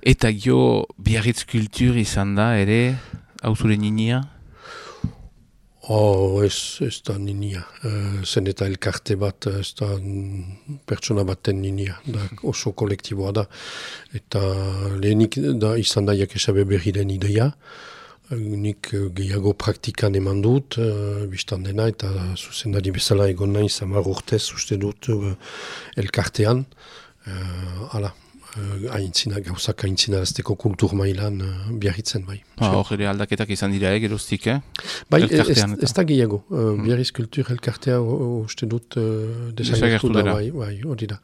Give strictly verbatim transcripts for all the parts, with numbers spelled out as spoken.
Eta gio Biarritz kultur izan da ere, hau zure ninia? Oh, ez, ez da ninia. Uh, zen eta elkarte bat, ez da pertsona baten ninia. Da oso kolektiboa da. Eta lehenik da izan da jakesabe berriren ideia. Nik gehiago praktikan eman dut, uh, biztan dena, eta zuzendari bezala egon nahi zamar urtez uste dut uh, elkartean. Uh, ala, uh, aintzina, gauzak aintzinarazteko kultur mailan uh, Biarritzen bai. Hor ere aldaketak izan dira geroztik, eh? Bai, ez, ez da gehiago. Uh, hmm. Biarritz kultur elkartea uste dut uh, desagertu da, bai, bai, hori da.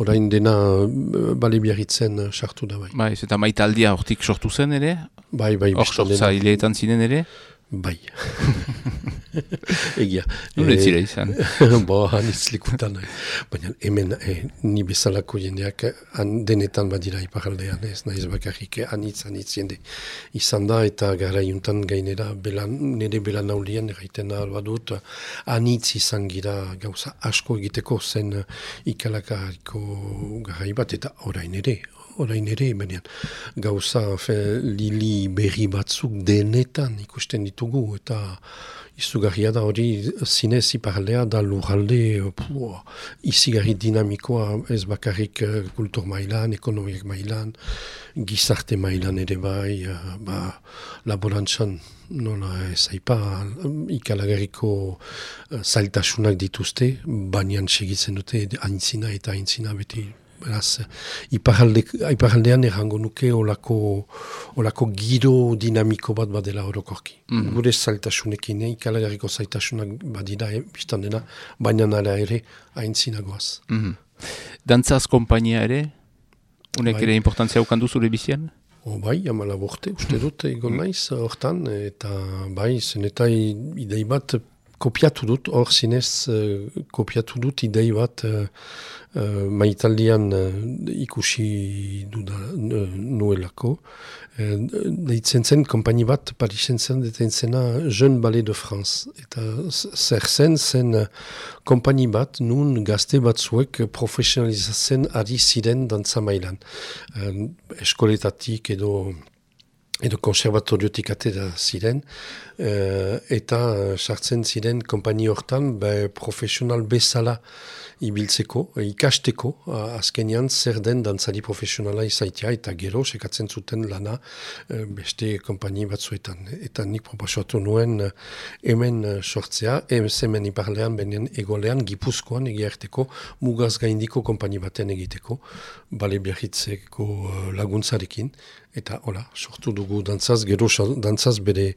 Orain dena uh, bale Biarritzen sartu uh, da, bai. Bai, eta maitaldia hortik sortu zen ere? Bai, bai, hor sortza hileetan ziren ere? Bai. Egia. Nure zira izan. Bo, hanitz likutan. Baina hemen eh, ni bezalako jendeak han denetan badira iparaldean, ez nahiz bakarrik hanitz, hanitz jende izan da, eta gara juntan gainera belan, nire belan naulien erraiten alba dut, hanitz izan gira gauza asko egiteko zen ikalakariko garai bat, eta orain ere, orain ere, baina gauza fe, lili berri batzuk denetan ikusten ditugu, eta izugarria da hori zinez iparaldea da lurralde izigarri dinamikoa ez bakarrik uh, kultur mailan, ekonomiak mailan, gizarte mailan ere bai, uh, ba, laborantzan nola ez aipa, ikalagarriko uh, zailtasunak dituzte, baina segitzen dute aintzina eta aintzina beti. Beraz, iparalde, iparaldean errango nuke olako, olako giro dinamiko bat badela orokorki. Mm-hmm. Gure zailtasunekin, ikalagarriko zailtasunak badira, eh, biztan dena, baina nara ere aintzinagoaz. Mm-hmm. Dantzaz kompainia ere? Unek bai. Ere importantzia ukandu zure bizian? O bai, amala borte, uste dut, egon naiz, hortan, eta bai, zen eta idei bat kopiatu dut, hor zinez uh, kopiatu dut idei bat uh, uh, maitaldian uh, ikusi duda uh, nuelako. Uh, deitzen zen, kompani bat, Parisen zen, deitzen zena Jeune Ballet de France. Eta zer zen, zen uh, kompani bat, nun gazte batzuek profesionalizatzen ari ziren dantza mailan. Uh, eskoletatik edo edo konservatoriotik atera ziren, uh, eta sartzen ziren kompani hortan be, profesional bezala ibiltzeko, ikasteko, uh, azkenean zer den dantzari profesionala izaitia, eta gero sekatzen zuten lana uh, beste kompani batzuetan. Eta nik proposatu nuen uh, hemen uh, sortzea, hemen iparlean, benen egolean, Gipuzkoan egiarteko, mugaz gaindiko kompani baten egiteko, Bale Biarritzeko uh, laguntzarekin, eta hola, sortu dugu dantzaz, gero dantzaz bere,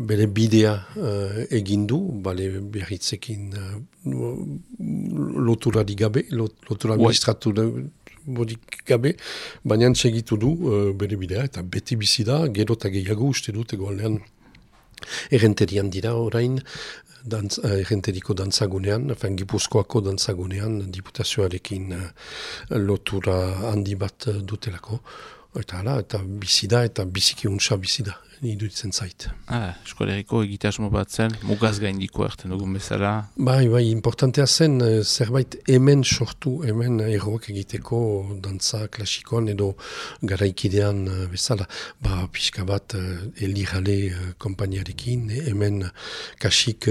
bere bidea uh, egindu, Bale Biarritzekin uh, loturari gabe, lotura administratu bodik gabe, baina segitu du uh, bere bidea, eta beti bizi da, gero eta gehiago uste dut egoalean errenterian dira orain, dantz, uh, errenteriko dantzagunean, enfin, Gipuzkoako dantzagunean, diputazioarekin uh, lotura handi bat uh, dutelako. Eta hala, eta bizida, eta biziki untsa bizida, ni duditzen zait. Ah, eskoleriko egitasmo bat zen, mugaz gaindiko erten dugun bezala. Bai, bai, importantea zen, zerbait hemen sortu, hemen erroak egiteko dantza klasikoan edo garaikidean bezala. Ba, pixka bat, elirale kompaniarekin, hemen kasik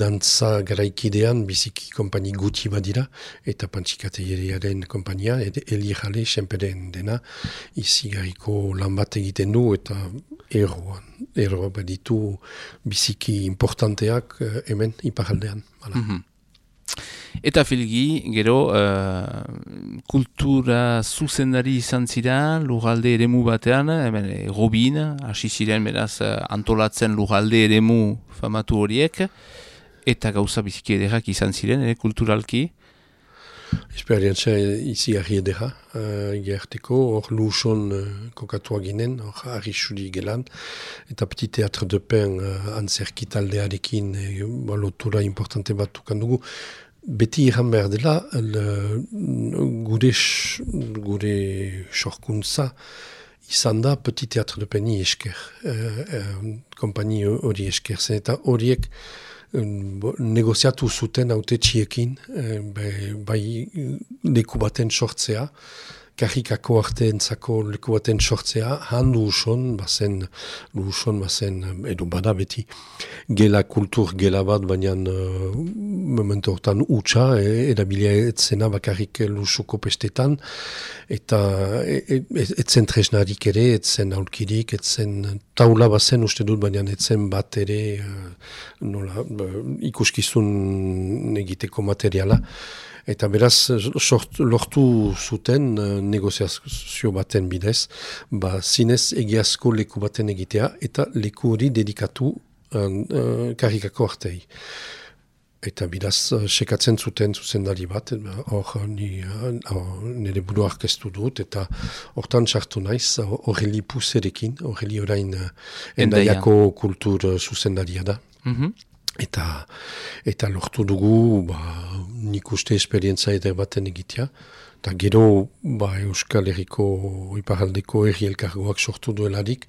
dantza garaikidean biziki kompani guti badira, eta pantxikateriaren kompania, elirale, senperen dena, izigarriko lan bat egiten du, eta erroan, erroa baditu biziki importanteak uh, hemen iparaldean. Mm-hmm. Eta filgi, gero, uh, kultura zuzendari izan zira, lurralde eremu batean, hemen Robin, hasi ziren beraz antolatzen lurralde eremu famatu horiek, eta gauza biziki ederrak izan ziren, ere, kulturalki. Esperientzia izigarri edera, uh, gerteko, hor luson uh, kokatua ginen, hor arrisuri gelan, eta Petit Teatre de Pen uh, antzerkitaldearekin uh, lotura importante bat tukandugu. Beti iran behar dela, le, gure, gure sorkuntza izan da Petit Teatre de Peni esker, uh, uh, kompani hori esker zen, eta horiek negoziatu zuten haute txiekin, bai leku baten sortzea, karikako arteentzako leku baten sortzea, han luuson, bazen, luuson, bazen, edo bada beti, gela kultur gela bat, baina uh, momentu hortan utxa, e, erabilia etzena bakarrik luusuko pestetan, eta e, e, etzen tresnarik ere, etzen aulkirik, etzen taula bazen uste dut, baina etzen bat ere, uh, nola, uh, ikuskizun egiteko materiala, eta beraz, sort, lortu zuten uh, negoziazio baten bidez, ba, zinez egiazko leku baten egitea, eta leku hori dedikatu uh, uh, karikako artei. Eta beraz, uh, sekatzen zuten zuzendari bat, hor uh, uh, nire buru arkeztu dut, eta hortan sartu naiz, Aureli Puzerekin, Aureli orain uh, endaiako kultur uh, zuzendaria da. Mhm. Eta, eta lortu dugu, ba, nik uste esperientza eder baten egitea. Eta gero, ba, Euskal Herriko iparaldeko herri elkargoak sortu duelarik,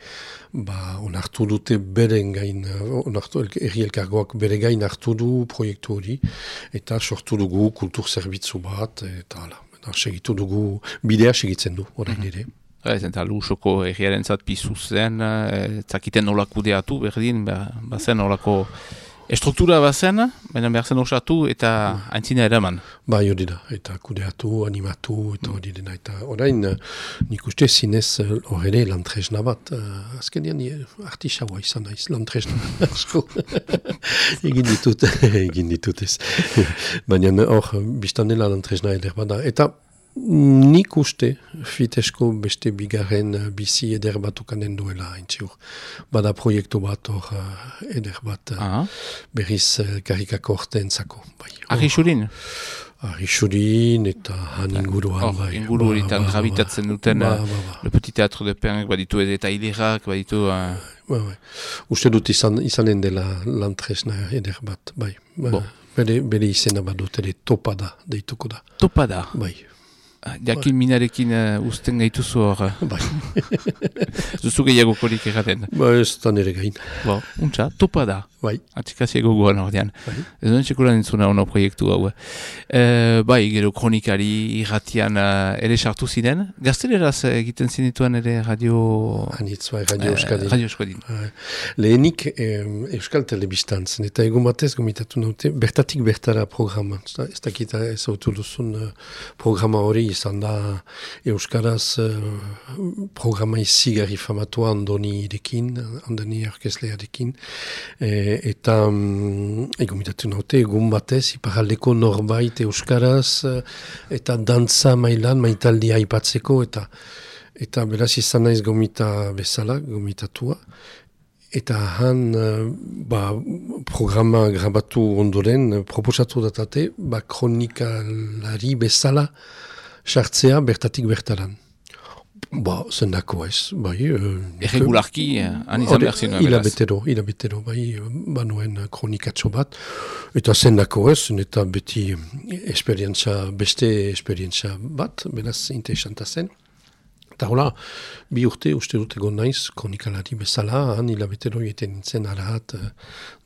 ba, onartu dute beren gain, onartu herri elkargoak bere gain hartu du proiektu hori, eta sortu dugu kultur zerbitzu bat, eta ala, eta segitu dugu, bidea segitzen du, orain ere. Ez, eta Lusoko herriaren zat pizu zen, zakiten nola kudeatu berdin, bazen nolako estruktura bazen, baina behar zen osatu eta aintzina eraman. Bai, hori da, eta kudeatu, animatu, eta hori dena, eta orain nik uste zinez hor ere lantresna bat, uh, azkenean artisaua izan naiz, lantresna asko. egin ditut, egin ditut ez. Baina hor, biztan dela lantresna eder bada, eta nik uste fitesko beste bigarren bizi eder bat ukanen duela haintziur. Bada proiektu bat hor eder bat uh, berriz karikako orteentzako. Bai. Arixurin? Arixurin eta han inguruan. Hor, bai. Inguru horitan ba, gravitatzen ba, duten ba, ba, ba. Le Petit Teatro de Pernek baditu eta hilerak baditu... Uh... Ba, ba. Uste dut izan, izanen dela lantresna eder bat. Bai. Ba, bon. bere, bere izena badut ere Topada deituko da. Topada? Bai. Jakin minarekin uh, usten gaituzu hor. Bai. Zuzu gehiago korik erraten. Ba, ez da nire gain. Bo, untxa, Topada. Bai. Atzikaziego goan ordean. Bai. Ez duen txekuran entzuna ono proiektu hau. E, bai, gero kronikari irratian uh, ere sartu ziren. Gazteleraz egiten zinituen ere radio... Anitz, bai, Radio Euskadin. Uh, radio Euskadin. Uh, lehenik eh, Euskal Telebistan zen, eta egun batez gomitatu naute, bertatik bertara programa. Ez dakita ez autu duzun uh, programa hori izan da Euskaraz uh, programa izigarri famatua Andoni irekin, Andoni orkeslearekin, eh, eta um, egomitatu naute, egun batez, iparaldeko norbait Euskaraz, eta dantza mailan, maitaldia aipatzeko, eta eta beraz izan naiz gomita bezala, gomitatua, eta han, ba, programa grabatu ondoren, proposatu datate, ba, kronikalari bezala sartzea bertatik bertaran. Ba, zendako ez, bai. Erregularki, han izan behar zinuen, beraz. Hilabetero, hilabetero, bai, banuen kronikatxo bat. Eta zendako ez, eta beti esperientza, beste esperientza bat, beraz, interesanta zen. Eta hola, bi urte, uste dut egon naiz, kronikalari bezala, han hilabetero egiten nintzen arahat,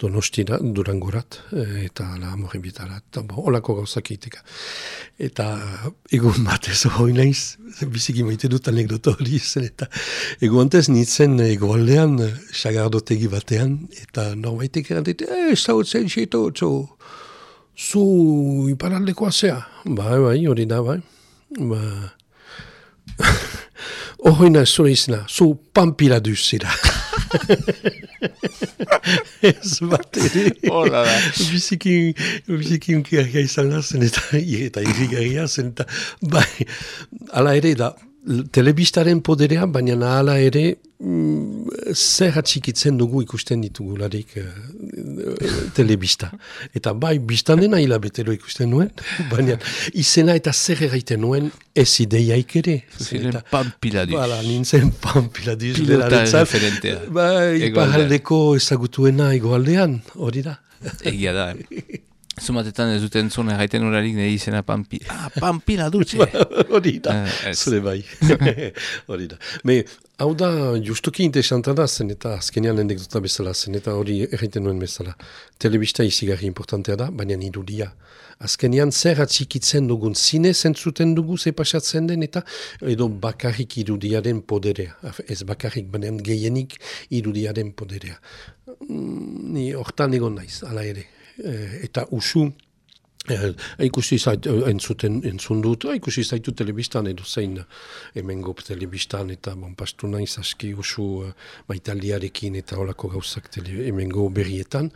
Donostira, Durangorat, eta ala Amorebietarat, eta bo, holako gauzak egiteka. Eta egun batez hori naiz, biziki maite dut anekdota hori zen, eta egun antez nintzen egoaldean, sagardotegi batean, eta norbaitek erantet, eh, zautzen xeto, txo, zu iparaldekoa zea. Bai, bai, hori da, bai. Ba... Horreina zure izena, zu pampiladuz zira. Ez bat ere. Hola da. Biziki, biziki unkiarria izan da zen, eta, eta irrigarria zen, eta bai, ala ere da, telebistaren poderea, baina ala ere mm, zer atxikitzen dugu ikusten ditugularik uh, telebista. Eta bai, biztan dena hilabetero ikusten nuen, baina izena eta zer erraiten nuen ez ideiaik ere. Ziren pampiladuz. Bala, nintzen pampiladuz. Pilota referentea. Bai, iparaldeko ezagutuena egoaldean, hori da. Egia da. Zumatetan ez duten zuen erraiten urarik nire izena Pampi. Ah, Pampila dutxe! Hori da, zure bai. Hori da. Me, hau da, justuki interesanta da, zen eta azkenean anekdota bezala, zen eta hori erraiten nuen bezala. Telebista izigarri importantea da, baina irudia. Azkenean zer atxikitzen dugun, zine zentzuten dugu ze pasatzen den, eta edo bakarrik irudiaren poderea. Ez bakarrik, baina gehienik irudiaren poderea. Ni hortan egon naiz, ala ere. Eta usu, eh, ikusi zait, entzuten, entzun dut, ikusi zaitu telebistan edo zein hemengo telebistan, eta bon, pastu naiz aski usu uh, maitaldiarekin eta holako gauzak tele, hemengo berrietan.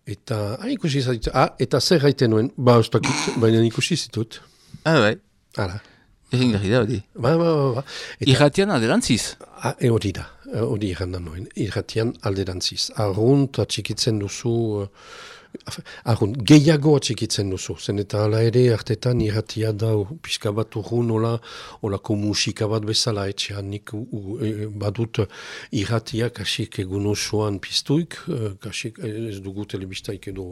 Eta ah, ikusi zaitu, ah, eta zer gaiten nuen, ba, ustakit, baina ikusi zitut. Ah, bai. Hala. Egin gari da, hori. Ba, ba, ba, ba. Irratian alderantziz. Ah, e hori da, hori irrandan nuen. Irratian alderantziz. Arrunt atxikitzen duzu... Uh, Arrun, gehiago atxikitzen duzu, zen eta ala ere hartetan irratia da pixka bat urrun ola, olako musika bat bezala etxean nik u, u, e, badut irratia kasik egun osoan piztuik, kasik ez dugu telebistaik edo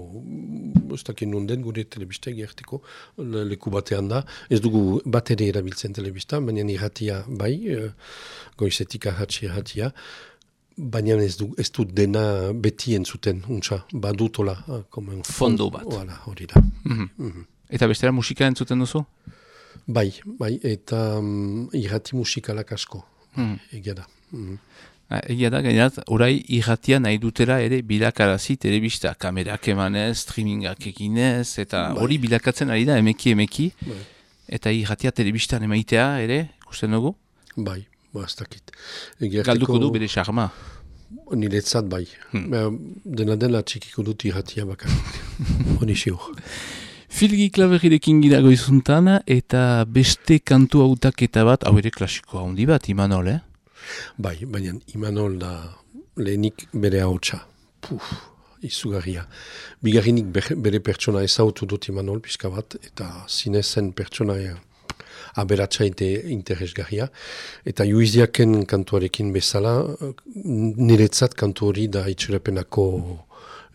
ez dakit nonden gure telebistaik gerteko le, leku batean da, ez dugu bat ere erabiltzen telebista, baina irratia bai, goizetik ahatsi irratia, baina ez du, ez du dena beti entzuten, untsa, badutola. Fondo bat. Voilà, hori da. Mm-hmm. Mm-hmm. Eta bestera musika entzuten duzu? Bai, bai, eta um, irrati musikalak asko, mm. egia da. Mm-hmm. Egia da, gainerat, orai irratia nahi dutera ere bilakarazi telebista, kamerak emanez, streamingak eginez, eta hori bai. Bilakatzen ari da, emeki, emeki, bai. Eta irratia telebistan emaitea ere, ikusten dugu? Bai. Ba, ez dakit. Galduko du bere charma. Niretzat bai. Hmm. Dena dela txikiko dut irratia bakar. Honi siur. Filgi Klaberrirekin gira goizuntan, eta beste kantu hautaketa bat, hau ere klasiko handi bat, Imanol, eh? Bai, baina Imanol da lehenik bere hautsa. Puf, izugarria. Bigarrinik bere pertsona ezautu dut Imanol pixka bat, eta zinezen pertsona aberatsa interesgarria. Eta Juiziaken kantuarekin bezala, niretzat kantu hori da itxurapenako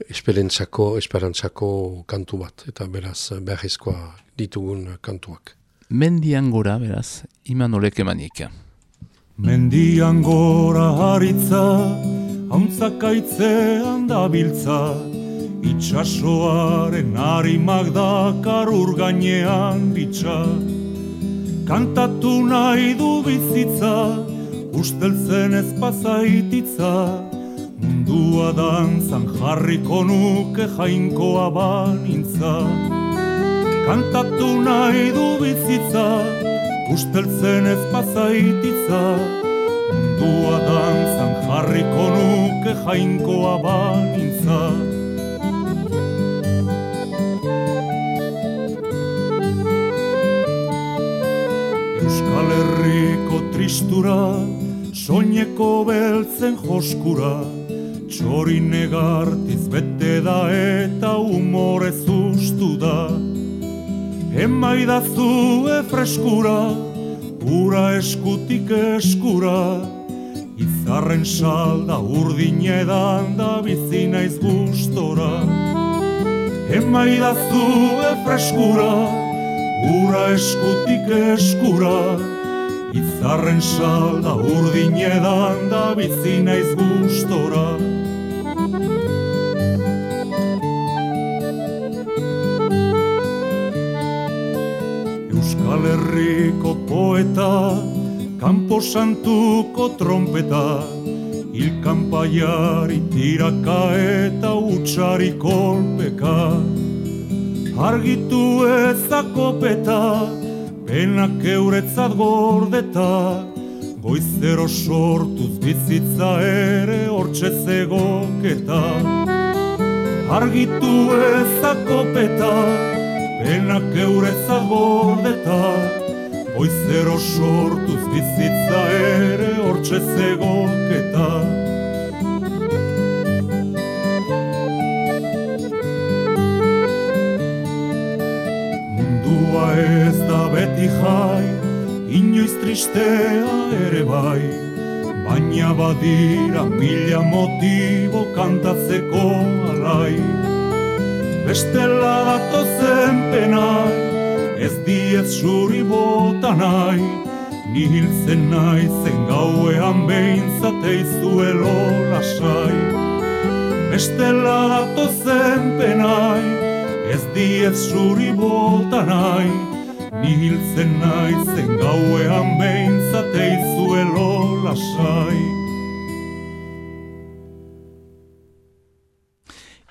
esperantzako, esperantzako kantu bat. Eta beraz, beharrezkoa ditugun kantuak. Mendian gora, beraz, Imanolek emanik. Mendian gora haritza, hauntzakaitzean dabiltza, itxasoaren harimak dakar ur gainean bitxa. Kantatu nahi du bizitza, usteltzen ez pasaititza, mundua dantzan jarriko nuke jainkoa banintza. Kantatu nahi du bizitza, usteltzen ez pasaititza, mundua dantzan jarriko nuke jainkoa banintza. Euskal Herriko tristura, soineko beltzen joskura, txori negartiz bete da eta humorez ustu da. Emaidazue freskura, ura eskutik eskura, izarren salda urdinedan da bizi naiz gustora. Emaidazue freskura, ura eskutik eskura, izarren salda urdinedan da bizi naiz gustora. Euskal Herriko poeta, kanpo santuko trompeta, hilkanpaiari tiraka eta utxari kolpeka. Argitu ezakopeta, penak euretzat gordeta, goizero sortuz bizitza ere hortxe zegoketa. Argitu ezakopeta, penak euretzat gordeta, goizero sortuz bizitza ere hortxe zegoketa. Ez da beti jai, inoiz tristea ere bai, baina badira mila motibo kantatzeko alai. bestela datozen penai, ez diez suri bota nahi, ni hiltzen naizen gauean behintzateizuelo lasai. Bestela datozen penai, ez diez suri bota nahi, ni hiltzen naizen gauean behintzateizuelo lasai.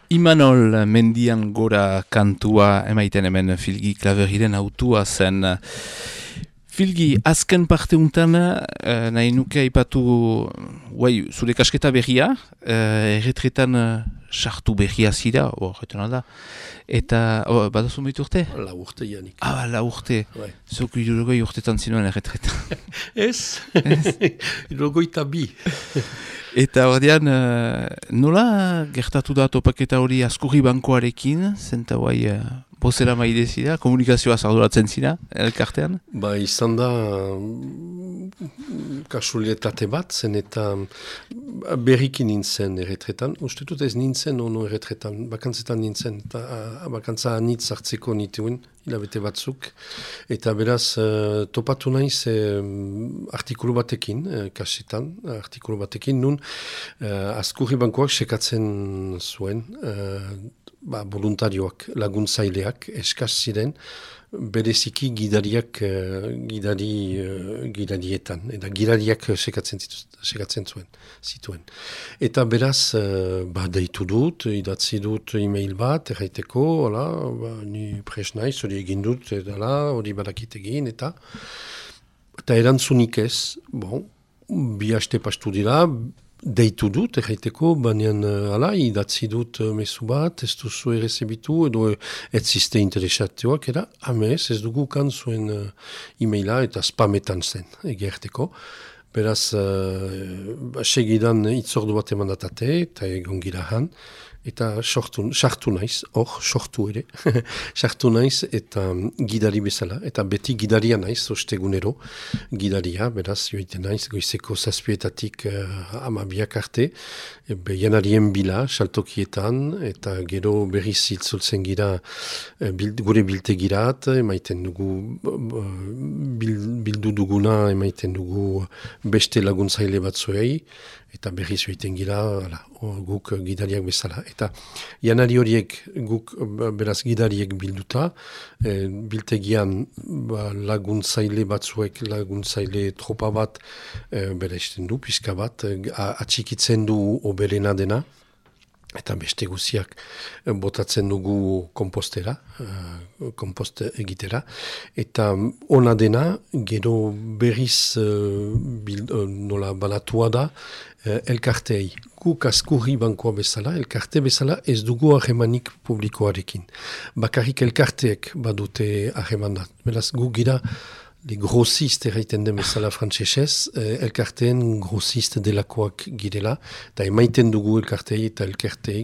Imanol mendian gora kantua emaiten hemen Filgi Klaverriren autua zen. Filgi, azken parte untan, eh, nahi nuke aipatu guai, zure kasketa berria, eh, erretretan sartu berria zira, oh, da. Eta, oh, badazu meitu urte? La urte janik. Ah, la urte. Bai. Zuk irurogoi urtetan zinuen erretretan. Ez? Irurogoi bi. Eta ordean, uh, nola gertatu da topaketa hori Askurri bankoarekin, zenta guai uh, bozera maide zira, komunikazioa zarduratzen zira, elkartean? Ba, izan da kasualietate bat, zen eta berriki nintzen erretretan. Uste dut ez nintzen ono erretretan, bakantzetan nintzen, eta uh, bakantza anitz hartzeko nituen, hilabete batzuk. Eta beraz, uh, topatu naiz uh, artikulu batekin, uh, kasetan, artikulu batekin, nun uh, Askurri bankoak sekatzen zuen, uh, ba, voluntarioak, laguntzaileak, eskaz ziren, bereziki gidariak, uh, gidari, uh, gidarietan, eta gidariak sekatzen, sekatzen zuen, zituen. Eta beraz, uh, ba, deitu dut, idatzi dut e-mail bat, erraiteko, hola, ba, ni pres naiz, hori egin dut, edala, hori badakit egin, eta eta erantzunik ez, bon, bi haste pastu dira, deitu dut, erraiteko, baina ala, idatzi dut uh, mezu bat, ez duzu errezebitu, edo ez ziste interesatuak, era, amez, ez dugu kan zuen uh, e-maila eta spametan zen, egerteko. Beraz, uh, segidan itzordu bat emandatate, eta egon gira han, eta sartu naiz, hor, sortu ere, sartu naiz, eta gidari bezala, eta beti gidaria naiz, ostegunero, gidaria, beraz, joite naiz, goizeko zazpietatik uh, amabiak arte, be, janarien bila, saltokietan, eta gero berriz itzultzen gira, uh, bild, gure biltegirat, emaiten dugu, uh, bil, bildu duguna, emaiten dugu beste laguntzaile batzuei, eta berriz joiten gira, ala, guk gidariak bezala. Eta janari horiek guk beraz gidariek bilduta, e, biltegian ba, laguntzaile batzuek, laguntzaile tropa bat e, bera esten du, pizka bat, atxikitzen du oberena dena, eta beste guziak botatzen dugu kompostera, uh, kompost egitera, eta ona dena, gero berriz uh, bil, uh, nola banatua da, uh, elkartei. Guk Askurri bankoa bezala, elkarte bezala ez dugu harremanik publikoarekin. Bakarrik elkarteek badute harremanat. Beraz, gu gira le grossist erraiten den bezala frantsesez, eh, elkarteen grossist delakoak girela, eta emaiten dugu elkartei eta elkartei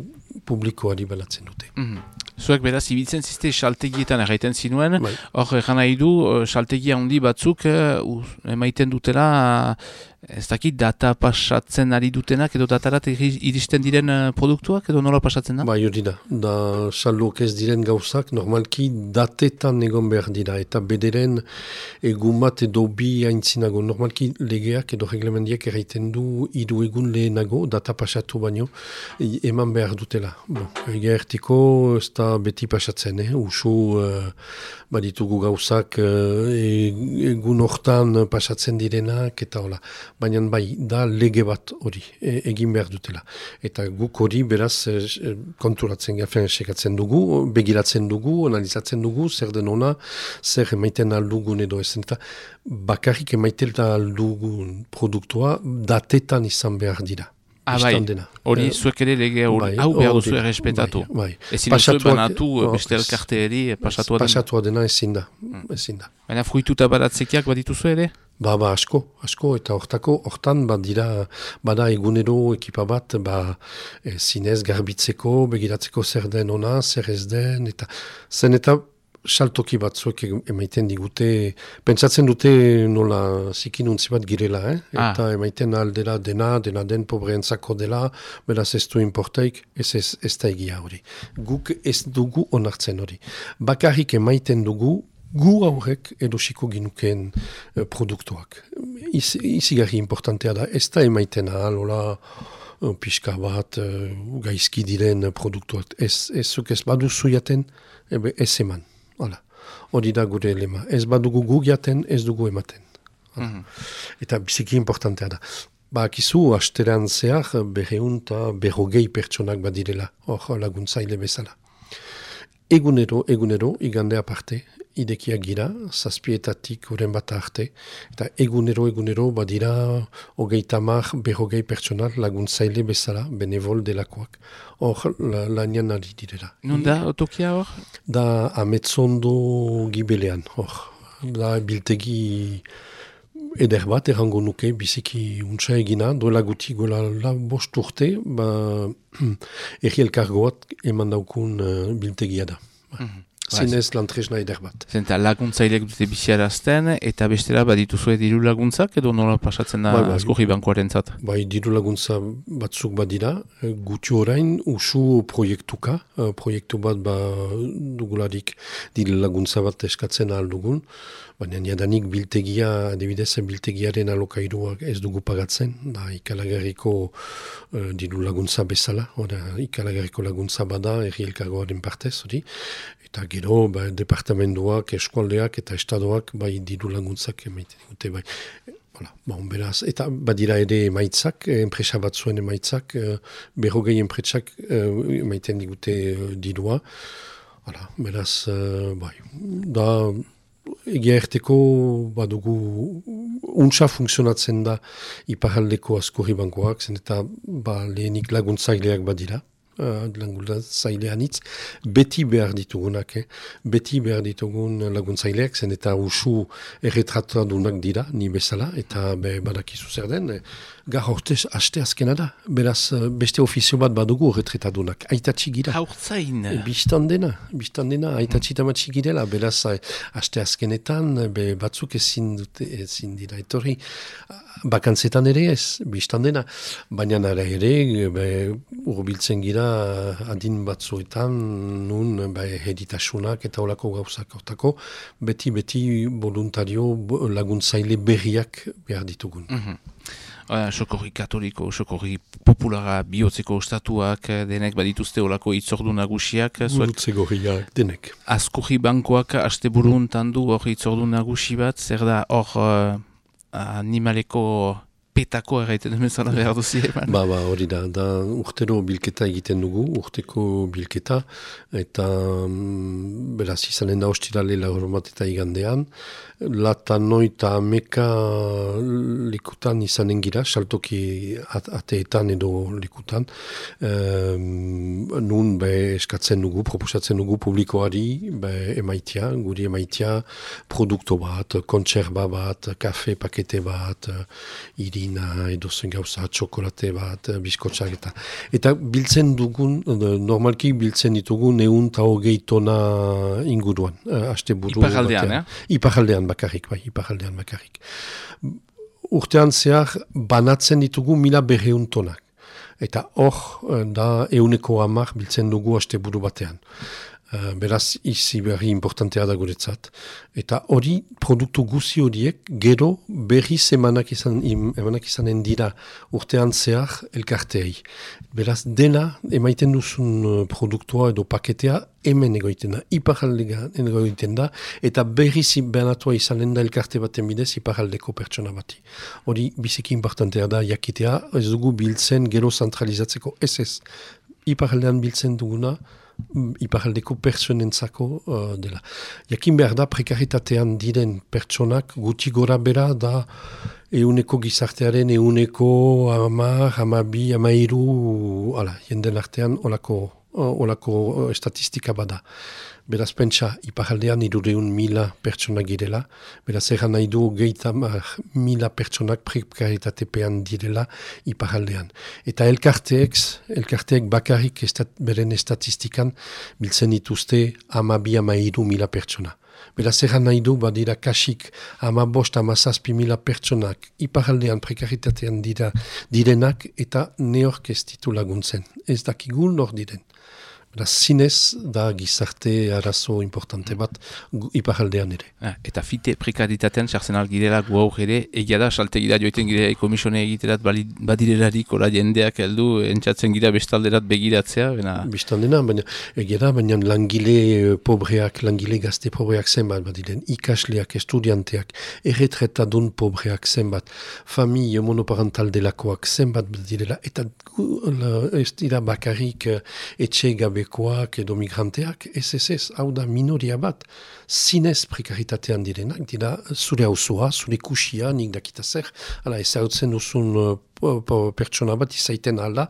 publikoari balatzen dute. Mm-hmm. Zuek beraz, ibiltzen ziste saltegietan erraiten zinuen, bai. Hor, egan nahi du, saltegia handi batzuk uh, emaiten dutela, ez dakit, data pasatzen ari dutenak, edo datarat iristen diren uh, produktuak, edo nola pasatzen da? Bai, hori da. Da, salok ez diren gauzak, normalki datetan egon behar dira, eta bederen egun bat edo bi haintzinago. Normalki legeak edo reglemendiak erraiten du hiru egun lehenago, data pasatu baino, eman behar dutela. Bon, egertiko ez da beti pasatzen, eh? Usu uh, baditugu gauzak uh, egun hortan pasatzen direnak, eta hola. Baina bai, da lege bat hori, e, egin behar dutela. Eta guk hori beraz e, konturatzen gafen sekatzen dugu, begiratzen dugu, analizatzen dugu, zer den ona, zer emaiten aldugun edo ezen. Eta bakarrik emaiten aldugun produktua datetan izan behar dira. Ah, bai, hori eh, zuek ere lege hori, bai, hau behar duzu errespetatu. Bai, bai. Ezin duzu banatu beste elkarteeri pasatua dena. Pasatua dena ezin da, ezin da. Baina fruituta baratzekiak badituzu ere? Ba, ba, asko, asko, eta hortako, hortan, ba, dira, bada egunero ekipa bat, ba, e, zinez garbitzeko, begiratzeko zer den ona, zer ez den, eta zen eta saltoki batzuek emaiten digute, pentsatzen dute nola zikinuntzi bat girela, eh? Eta ah. emaiten aldera dena, dena den pobreentzako dela, beraz ez du importaik, ez ez, ez da egia hori. Guk ez dugu onartzen hori. Bakarrik emaiten dugu, gu aurrek edosiko ginukeen uh, produktuak. Iz, izigarri importantea da, ez da emaiten ahal, hola, uh, pixka bat, uh, gaizki diren produktuak. Ez, ez zuk ez baduzu jaten, ebe ez eman. Hala. Hori da gure lema. Ez badugu gu jaten, ez dugu ematen. Mm-hmm. Eta biziki importantea da. Bakizu, asteran zehar, berreun eta berrogei pertsonak badirela, hor laguntzaile bezala. Egunero, egunero, igande aparte, idekiak gira, zazpietatik uren bat arte, eta egunero, egunero, badira hogeita mar, berrogei pertsonal laguntzaile bezala, benevol delakoak. Hor, la, lanian ari direla. Non da, otokia hor? Da, ametzondo gibelean, hor. Da, biltegi eder bat, errango nuke, biziki untsa egina, doela guti gola la bost urte, ba, erri elkargoat eman daukun uh, biltegia da. Mm-hmm. Zinez lantresna eder bat. Zenta laguntzaileak dute biziarazten, eta bestera badituzue diru laguntzak, edo nola pasatzen da bai, bai, Azkurri bankuaren zat? Bai, diru laguntza batzuk badira, guti orain usu proiektuka, proiektu bat ba, dugularik diru laguntza bat eskatzen ahal dugun, baina jadanik biltegia, adibidez biltegiaren alokairuak ez dugu pagatzen, da ikalagarriko uh, diru laguntza bezala, ora, ikalagarriko laguntza bada erri elkargoaren partez, hori, eta gero ba, departamentoak, eskualdeak eta estadoak bai diru laguntzak emaiten dute, bai. Voilà, bon, beraz, eta badira ere emaitzak, enpresa batzuen emaitzak, uh, berrogei enpresak uh, emaiten digute uh, dirua, voilà, beraz, uh, bai, da, egia erteko badugu untsa funtzionatzen da iparaldeko Azkurri bankoak, zen eta ba, lehenik laguntzaileak badira, uh, laguntzailean hitz, beti behar ditugunak, eh? beti behar ditugun laguntzaileak, zen eta usu erretratadunak dira, ni bezala, eta be, badakizu zer den, eh? Gar hortez, aste azkena da. Beraz, beste ofizio bat badugu retretadunak. Aitatxi gira. Haurtzain. Bistan dena. Bistan dena. Aitatxi tamatxi girela. Beraz, aste azkenetan, be, batzuk ezin dute, ezin dira. Etorri, bakantzetan ere ez, bistan dena. Baina nara ere, be, urbiltzen gira adin batzuetan, nun, be, heditasunak eta olako gauzak hortako, beti-beti voluntario laguntzaile berriak behar ditugun. Mm-hmm. Uh, sokorri katoliko, sokorri populara bihotzeko ostatuak, denek badituzte olako itzordu nagusiak. Gurutze gorriak, denek. Azkurri bankoak aste buruntan du hor itzordu nagusi bat, zer da hor uh, animaleko petako erraiten demezala behar duzi eman. Ba, ba, hori da, da urtero bilketa egiten dugu, urteko bilketa, eta mm, beraz izanen da ostirale laur bat eta igandean, lata noita ameka likutan izanen gira, saltoki at ateetan edo likutan, um, nun be eskatzen dugu, proposatzen dugu publikoari be emaitia, guri emaitia produkto bat, kontserba bat, kafe pakete bat, irina edo zen gauza, txokolate bat, biskotxak eta. Eta biltzen dugun, normalki biltzen ditugun egun eta hogei tona inguruan. Aste buru Iparaldean, eh? Iparaldean bakarrik, bai, iparaldean bakarrik. Urtean zehar banatzen ditugu mila berreun tonak. Eta hor da euneko hamar biltzen dugu aste buru batean. Uh, beraz, izi berri importantea da guretzat. Eta hori, produktu guzi horiek, gero berriz emanak, izan, emanak izanen dira urtean zehar elkarteei. Beraz, dena, emaiten duzun produktua edo paketea, hemen egoiten da, iparaldean egoiten da, eta berriz benatua izanen da elkarte baten bidez iparaldeko pertsona bati. Hori, biziki importantea da, jakitea, ez dugu biltzen gero zentralizatzeko, ez ez. Iparaldean biltzen duguna, iparaldeko pertsonentzako uh, dela. Jakin behar da, prekaritatean diren pertsonak guti gora bera da euneko gizartearen euneko amar, amabi, amairu, ala, jenden artean olako olako estatistika bada. Beraz, pentsa, iparaldean irureun mila pertsonak girela, beraz, erran nahi du geita mila pertsonak prekaritatepean direla iparaldean. Eta elkarteek, elkarteek bakarrik estat, beren estatistikan biltzen dituzte ama bi ama hiru mila pertsona. Beraz, erran nahi du, badira kasik ama bost ama zazpi mila pertsonak iparaldean prekaritatean dira direnak eta neork ez ditu laguntzen. Ez dakigu nor diren. Beraz, zinez da gizarte arazo importante bat iparaldean ere. Ah, eta fite prekaritatean sartzen algirela gu aur ere, egia da, saltegira joiten gira komisone egiterat badirelarik ora jendeak heldu entzatzen gira bestalderat begiratzea. Bena... Bestaldena, baina egia da, baina langile pobreak, langile gazte pobreak zenbat badiren, ikasleak, estudianteak, erretretadun pobreak zenbat, familie monoparental delakoak zenbat badirela, eta ez dira bakarrik etxe gabe koak edo migranteak, ez ez ez, hau da minoria bat, zinez prekaritatean direnak, dira zure hausua, zure kusia, nik dakita zer, ala ez hautzen duzun uh, pertsona bat izaiten alda,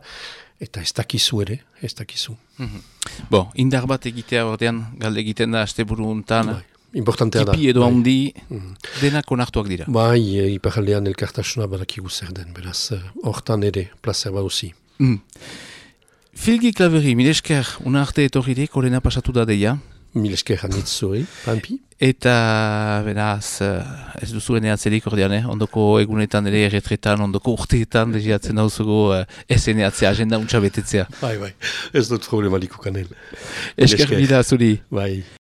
eta ez dakizu ere, ez dakizu. Mm-hmm. Bo, indar bat egitea ordean, galde egiten da, asteburu untan, bai, importantea da. Tipi edo bai. handi, Mm. denak onartuak dira. Bai, e, iparaldean elkartasuna badakigu zer den, beraz, hortan ere, plazer baduzi. Mm. Filgi Klaveri, milesker, una arte etorririk, horrena pasatu da deia. Milesker hanitz zuri, Pampi. Eta, beraz, ez duzuen eatzerik ordean, eh? Ondoko egunetan ere erretretan, ondoko urteetan, deziatzen dauzugu uh, ez eneatzea, agenda untsa betetzea. Bai, bai, ez dut problematiko kanel. Esker bida zuri. Bai.